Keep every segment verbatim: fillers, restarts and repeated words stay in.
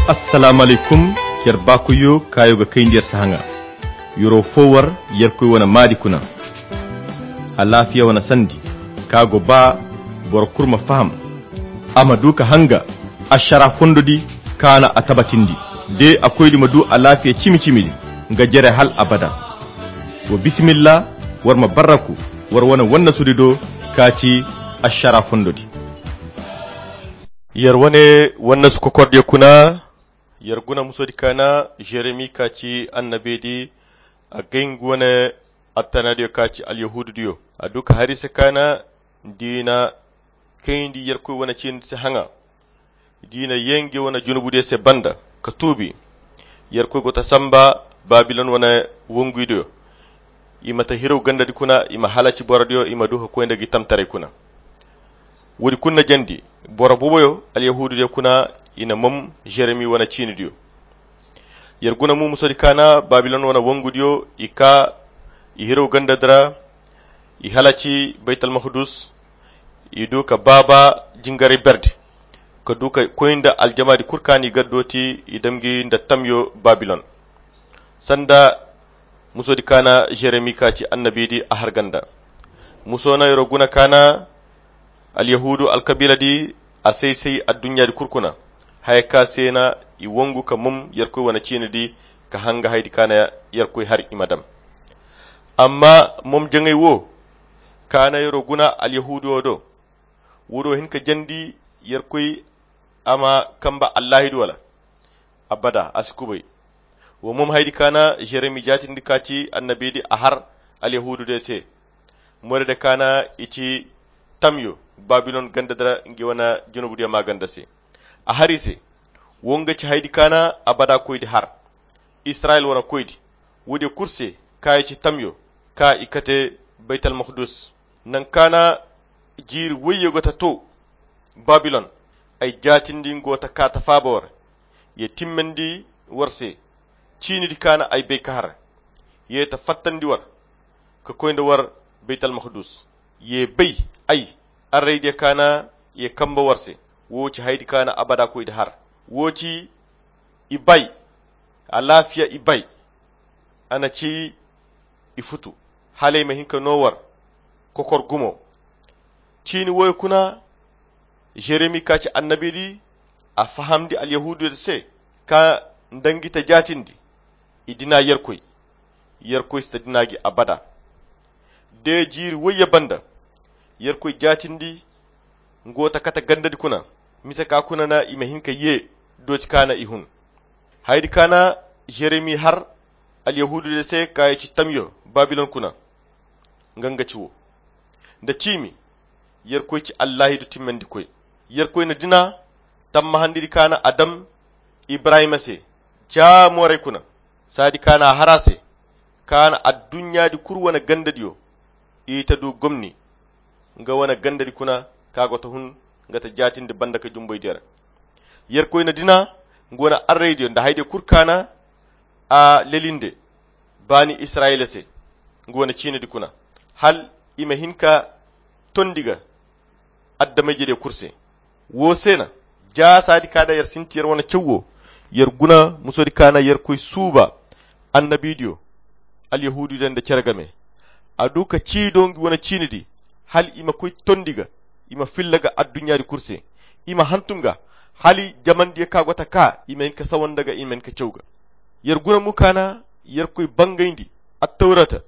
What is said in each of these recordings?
Assalamu alaykum. Yer baakoyyo kaayo ga kayndi yer se haŋa. Yero fo war yerkoy wane maadi kuna. Alaafiya wane sandi ka go ba boro kulu ma faham, a ma du ka hanga ašara fondo di kaana a tabatindi. De a koydi ma du alaafiya cimi-cimi di nga jere hal abada. Wa bisimilla, war ma barraku war wane wannasudi do ka ci ašara fondo di. Yer wane wannasu kokordiyo kuna. Yer guna musodi kaana jeremi ka ci annabedi. A gay ngu wane attanaadiyo ka ci alyahuududiyo a du ka hari se kaana diina kayndi yerkoy wane ciindi se haŋa. Diina yee ngi wane junubudiyo se banda ka tuubi. Yerkoy go ta samba babilon wane wongudiyo. I ma ta hirow gandadi kuna i ma halaci borodiyo i ma du ka koy nda gi tamtaray kuna. Woodi kulu na jandi boro boboyo alyahuududiyo kuna. I na mom jeremi wane ciinidiyo. Yer guna mu musodi kaana babilon wane wongudiyo i ka i hirow gandadi ra. I halaci baytalmahudus. I du ka baaba jingaray berdi ka du ka koy nda aljamaadi kulu kaani gaddooti i damgi nda tamyo babilon. Sanda musodi kaana jeremi ka ci annabidi a har ganda. Muso na yero guna kaana alyahuudu alkabiiladi a say-say adduɲɲaadi kulu kuna. Haya ka se na i wongu ka mom yerkoy wane ciinidi ka hanga hayadi kaana yerkoy har i ma dam. Amma mom jaŋay wo kaana yero guna alyahuudu wo do. Woodi wo hin ka jandi yerkoy a ma kamba allaahidi wala abada a si kubay. Wo mom hayadi kaana jeremi jaatindi ka ci annabidi a har alyahuududiyo se. Morede kaana i ci tamyo babilon gandadi ra ngi wane junubudiyo maa ganda se. A har i se. Wo nga ci hayadi kaana abada koydi har israyil wane koydi. Woodiyo kulu se ka i ci tamyo ka i kate baytalmahudus. Naŋ kaana jiiri woyyo go ta to babilon. Ay jaatindi ngo ta kaa ta faaba war. Ye timmandi war se. Ciinidi kaana ay bay ka har. Ye ta fattandi war ka koy nda war baytalmahudus. Ye bay ay arraydiyo kaana ye kamba war se. Wo ci hayadi kaana abada koydi har. Wo ci i bay alaafiya i bay. A na ci i futu hala i ma hin ka no war kokor gumo. Ciini woyo kuna jeremi ka ci annabidi a fahamndi alyahuududiyo se ka nda ngi ta jaatindi. I dina yerkoy. Yerkoy si ta dina gi abada. De jiiri woyye banda yerkoy jaatindi ngo ta kate gandadi kuna. Mise ka kuna na i ma hin ka ye dooti kaana i hun. Hayadi kaana jeremi har alyahuududiyo se ka ye ci tamyo babilon kuna. Nga nga ci wo nda ciimi yerkoy ci allaahidu timmandikoy. Yerkoy na dina tammahandidi kaana a dam ibrahima se ja mooray kuna. Saadi kaana a har a se kaana adduɲɲaadi kulu wane gandadiyo. I ta du gomni nga wane gandadi kuna ka go ta hun nga ta jaatindi banda ka jumboydiyo ra. Yerkoy na dina nga wane arraydiyo nda haydiyo kulu kaana a lelinde baani israyila se nga wane ciinidi kuna hal i ma hin ka tondi ga adama-ijediyo kulu se. Wo se na ja saadi ka da yer sinti yer wane caw wo yer guna musodi ka na yerkoy suuba annabidiyo alyahuududiyo nda cere game. A du ka ciido ngi wane ciinidi hal i ma koy tondi ga i ma filla ga adduɲɲaadi kulu se. I ma hantum ga hal jamandiyo ka go ta ka i ma hin ka sawanda ga i ma hin ka caw ga. Yer guna mo ka na yerkoy bangayndi attawrata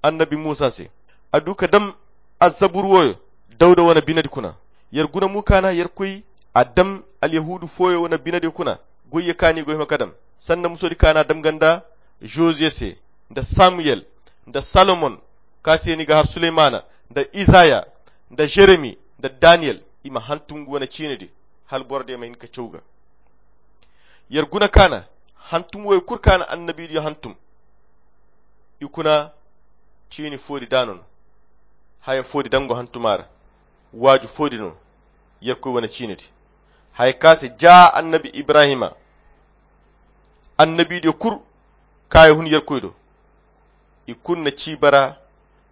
annabi musa se. A du ka dam azzabur woyo dawda wane binedi kuna. Yer guna mo ka na yerkoy a dam alyahuudu fooyo wane binediyo kuna goyyo ka ni go hima ka dam sanda musodi ka na dam ga nda josiye se nda samuyel nda salomon ka se ni ga har suleymana nda isaya nda jeremi nda daniyel. I ma hantum ngu wane ciinidi hal borodiyo ma hin ka caw ga. Yer guna ka na hantum woyo kulu ka na annabidiyo hantum. I kuna ciini foodi daano no haya foodi dango hantuma ra. Waaju foodi no yerkoy wane ciinidi haya ka se ja annabi ibrahima annabidiyo kulu ka ye hun yerkoy do. I kulu na ci bara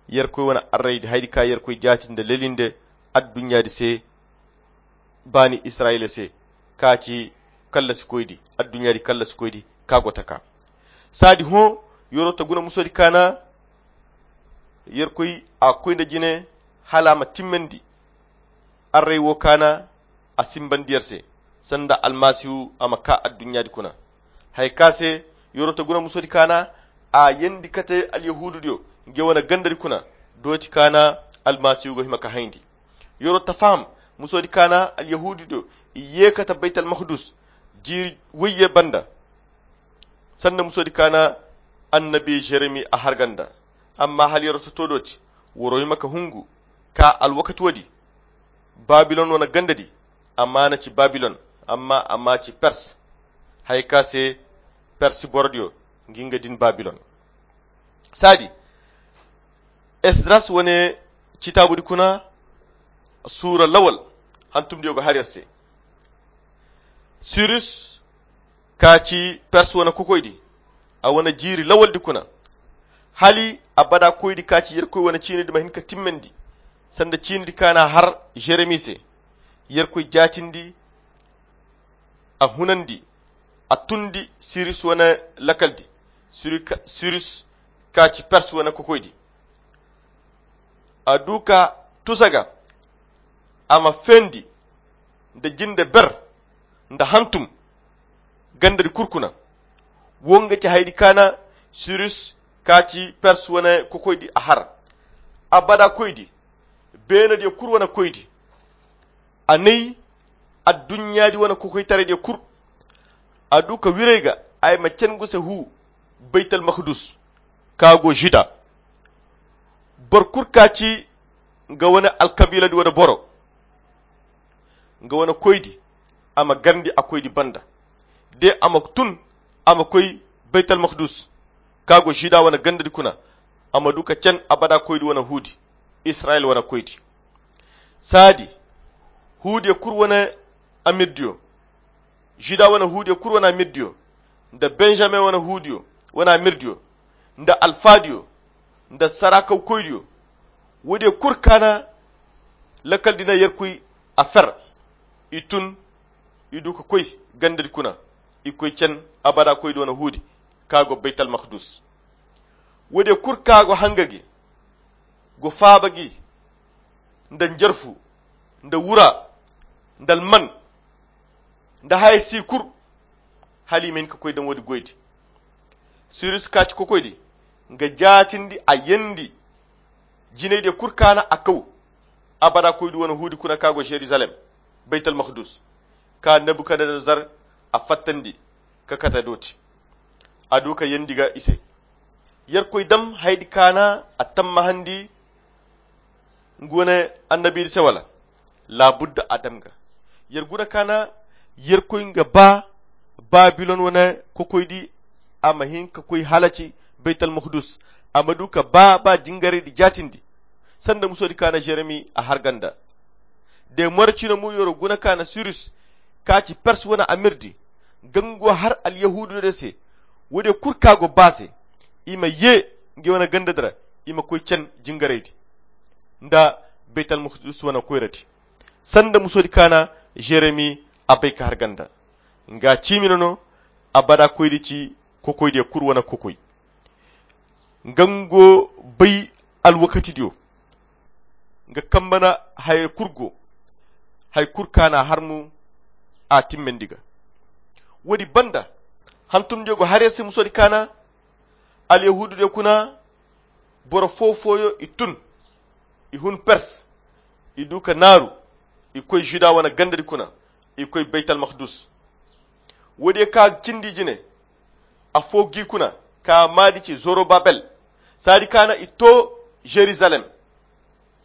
yerkoy wane arraydi haydi ka yerkoy jaati nda lelinde adduɲɲaadi se baani israyila se ka ci kallasi koydi adduɲɲaadi kallasi koydi ka go taka. Saadi hõ, yer'o ta guna musoodi kaana yerkoy a koy nda jine hala a ma timmandi array wo kaana a simbandi yer se sanda almasihu a ma kaa adduɲɲaadi kuna. Haya ka se yer'o ta guna musoodi kaana a yendi kate alyahuududiyo nge wane gandadi kuna dooti kaana almasihu go hima ka hayndi. Yer'o ta faham musoodi kaana alyahuududiyo i ye kate baytalmakdus jiiri wayye banda sanda musoodi kaana annabi jeremi a harga nda. Amma hala yer'o ta to dooti war'o hima ka hungu ka alwakati woodi babilon wane gandadi a maana ci babilon amma a maa ci pers. Haya ka se persi borodiyo ngi nga din babilon. Saadi esdras wane citaabudi kuna suura lawal hantumdiyo ga har yer se. Sirus ka ci pers wane kokoydi a wane jiiri lawaldi kuna hali abada koydi ka ci yerkoy wane ciinidi ma hin ka timmandi sanda ciinidi kaana har jeremi se. Yerkoy jaatindi a hunandi a tundi sirus wane lakaldi. Sirus ka ci pers wane kokoydi a du ka tusa ga a ma feendi nda jinde ber nda hantum gandadi kul kuna. Wo nga ci hayadi kaana sirus ka ci pers wane kokoydi a har abada koydi beenadiyo kul wane koydi a nay adduɲɲaadi wane kokoytaraydiyo kul. A du ka wirey ga ay ma cangu se hu baytalmakdus ka go žuda. Boro kul ka ci nga wane alkabiiladi wane boro nga wane koydi a ma garndi a koydi banda de a ma tun a ma koy baytalmakdus ka go žuda wane gandadi kuna. A ma du ka can abada koydi wane huudi israyil wane koydi. Saadi huudiyo kul wane amirdiyo žuda wane huudiyo kul wane amirdiyo nda benjamin wane huudiyo wane amirdiyo nda alfaadiyo nda saraakawkoydiyo woodiyo kul kaana lakkal di na yerkoy a fer. I tun i du ka koy gandadi kuna i koy can abada koydi wane huudi ka go baytalmakdus. Woodiyo kul ka go hanga gi go faaba gi nda njarfu nda wura nda alman nda haya si kul hala i ma hin ka koy daŋ woodi goydi. Sirus ka ci kokoydi nga jaatindi a yeendi jinaydiyo kul kaana a kaw abada koydi wane huudi kuna ka go žerizalem baytalmakdus ka nebukadnezzar a fattandi ka kate dooti. A du ka yeendi ga i se yerkoy dam hayadi kaana a tammahandi nga wane annabiidi se wala? Laabudda a dam ga yer guna kaana yerkoy nga ba babilon wane kokoydi a ma hin ka koy halaci baytalmakdus a ma du ka ba ba jingaraydi jaatindi sanda musoodi kaana jeremi a harga nda. De more cine mo yoro guna kaana sirus ka ci pers wane amirdi gango har alyahuududiyo se woodiyo kul ka go ba se i ma ye nge wane gandadi ra i ma koy can jingaraydi nda baytalmakdus wane koyradi sanda musoodi kaana jeremi a bay ka har ganda. Nga ciimi no no abada koydi ci kokoydiyo kul wane kokoy nga ngo bay alwakatidiyo nga kambana haya kul go haya kul kaana har mo a timmandi ga. Woodi banda hantumdiyo go har yer se musoodi kaana alyahuududiyo kuna boro foo-fooyo i tun i hun pers i du ka naaru i koy žuda wane gandadi kuna i koy baytalmakdus. Woodiyo ka cindi jine afoo g'i kuna ka maadi ci zorobabel saadi kaana i too žerizalem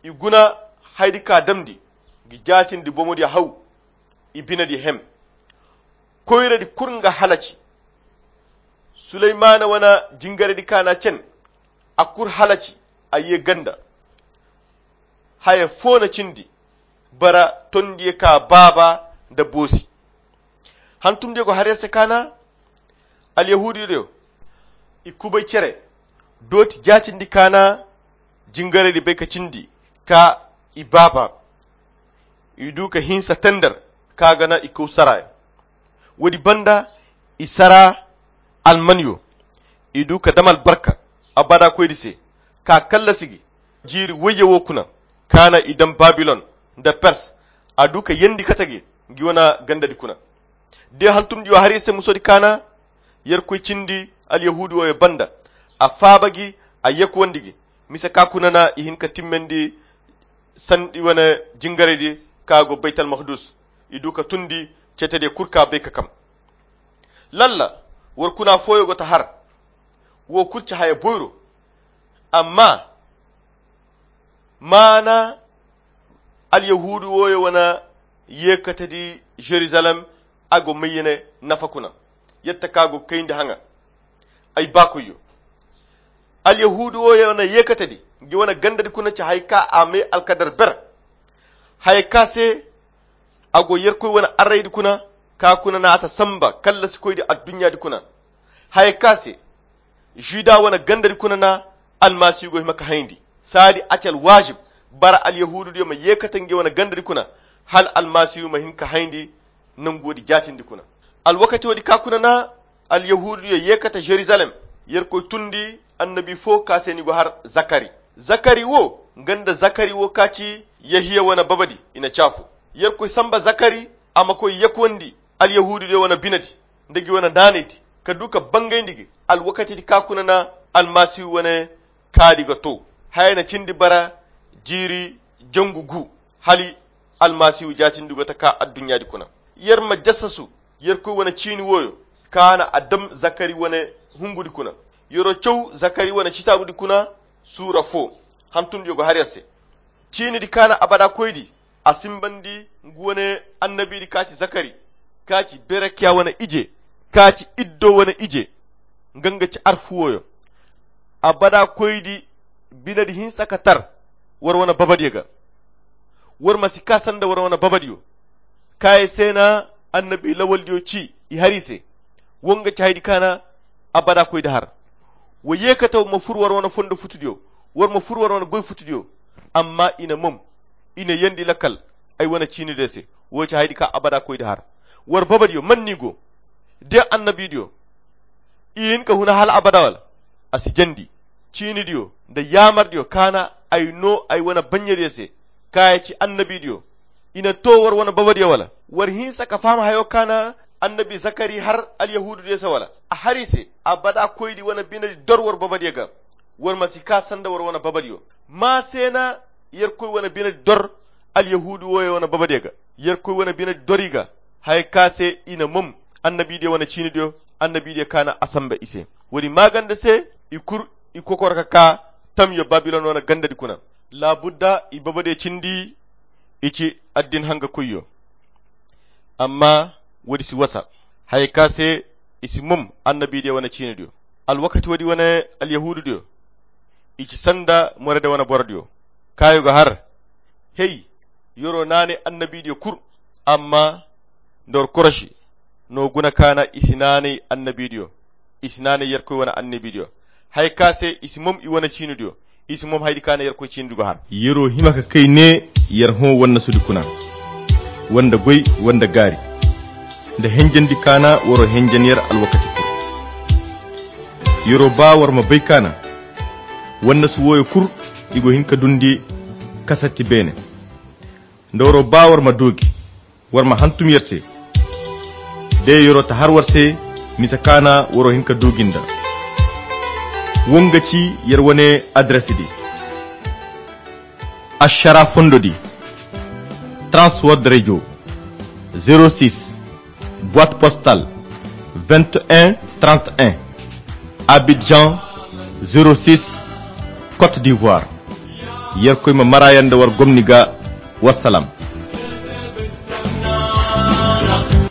i guna hayadi ka damndi ga jaatindi bomodiyo haw i binediyo hem koyradi kul nga halaci. Suleymaana wane jingaraydi kaana cen a kul halaci a ye ganda haya foo na cindi bara tondiyo ka baaba nda boosi. Hantumdiyo go har yer se kaana alyahuudiyo i kubay cere dooti jaatindi kaana jingaraydi bay ka cindi ka i baaba i du ka hinsa tender ka gana i kaw saraaya. Woodi banda i sara almanyo, i du ka dam albarka abada koydi se, ka kallasi gi jiiri woyye wo kuna, kaana i dam babilon nda pers. A du ka yendi kate gi ngi wane gandadi kuna. De hantumdiyo har i se musodi kaana yerkoy cindi alyahuudi wooyo banda, a faaba gi, a yekuwandi gi. Mise ka kuna na i hin ka timmandi sandi wane jingaraydi ka go baytal makdus. I du ka tundi cetediyo kul ka bay ka kam. Lalla war kuna fooyo go ta har. Wo kul ci haya boyro. Amma maana alyahuudu wooyo wane yeekatedi jerusalem, a go mayyene nafa kuna. Yadda ka go kayndi haŋa ay baakoyyo, alyahuudu wooyo wane yeekatedi ngi wane gandadi kuna ci haya ka a may alkadar ber. Haya ka se a go yerkoy wane arraydi kuna, ka kuna na a ta samba kallasikoydi adduɲɲaadi kuna. Haya ka se žuda wane gandadi kuna na almasihu go hima ka hayndi. Saadi a ci alwaazib bara alyahuududiyo ma yeekate ngi wane gandadi kuna, hala almasihu ma hin ka hayndi nangu woodi jaatindi kuna. Alwakati woodi ka kuna na alyahuududiyo yeekate jerusalem, yerkoy tundi annabi foo ka se ni go har zakari. Zakari wo nga nda zakari wo ka ci yehiya wane babadi i na caafu. Yerkoy samba zakari a ma koy yekuwandi alyahuududiyo wane binedi nda gi wane naanaydi, ka du ka bangayndi gi alwakatidi ka kuna na almasihu wane kaadi ga to. Haya na cindi bara jiiri jangu gu hali almasihu jaatindi go ta ka adduɲɲaadi kuna. Yer ma jassasu yerkoy wane ciini wooyo, ka na a dam zakari wane hungudi kuna. Yer'o caw zakari wane citaabudi kuna suura foo. Hantumdiyo go har yer se. Ciinidi ka na abada koydi a simbandi ngu wane annabidi ka ci zakari, ka ci berekiya wane ije, ka ci iddo wane ije. Nga nga ci arfu wooyo. Abada koydi binedi hinsa ka tar war wane babadiyo ga. War ma si ka sanda war wane babadiyo. Ka ye se na annabi lawaldiyo ci i har i se. Wo nga ci haydi ka na abada koydi har. Wa yeekate ma fur war wane fondo futudiyo, war ma fur war wane goy futudiyo. Amma i na mom, i na yendi lakkal ay wane ciinidiyo se. Wo ci haydi ka abada koydi har. War babadiyo man ni go? De annabidiyo i hin ka huna hala abada wala? A si jandi. Ciinidiyo nda yaamardiyo ka na ay no ay wane baɲɲediyo se, ka ya ci annabidiyo. I na to war wane babadiyo wala? War hinsa ka faham hayo ka na annabi zakari har alyahuududiyo se wala? A har i se abada koydi wane binedi dor war babadiyo ga. War ma si ka sanda war wane babadiyo. Ma se na yerkoy wane binedi dor alyahuudu wooyo wane babadiyo ga. Yerkoy wane binedi dor i ga haya ka se i na mom annabidiyo wane ciinidiyo, annabidiyo ka na a samba i se. Woodi maaganda se i kul i kokor ka ka tamyo babilon wane gandadi kuna. Laabudda i babadiyo cindi i ci addin hangakoyyo. Amma woodi si wasa haya ka se i si mom annabidiyo wane ciinidiyo. Alwakati woodi wane alyahuududiyo i ci sanda morede wane borodiyo. Kaayo ga har hey, yer'o naanay annabidiyo kul. Amma nda war korosi no guna ka na i si naanay annabidiyo, i si naanay yerkoy wane annabidiyo. Haya ka se i si mom i wane ciinidiyo, i si mom haydi ka na yerkoy ciinidi go har. Yer'o hima ka kay ne yer hõ wannasudi kuna, wanda goy, wanda gaari nda henjandi ka na war'o henjan yer alwakati kul. Yer'o ba war ma bay ka na wannasu wooyo kul i go hin ka dundi kasatti beene. Nda war'o ba war ma doogi, war ma hantum yer se. De yer'o ta har war se mise ka na war'o hin ka doogi nda. Wo nga ci yer wane adresidi. Ašara fondodi, transword radio, zero six, boîte postale, vingt et un trente et un, abidjan, zero six, côte d'ivoire. Yerkoy ma mara yer nda war gomni ga. Wassalam.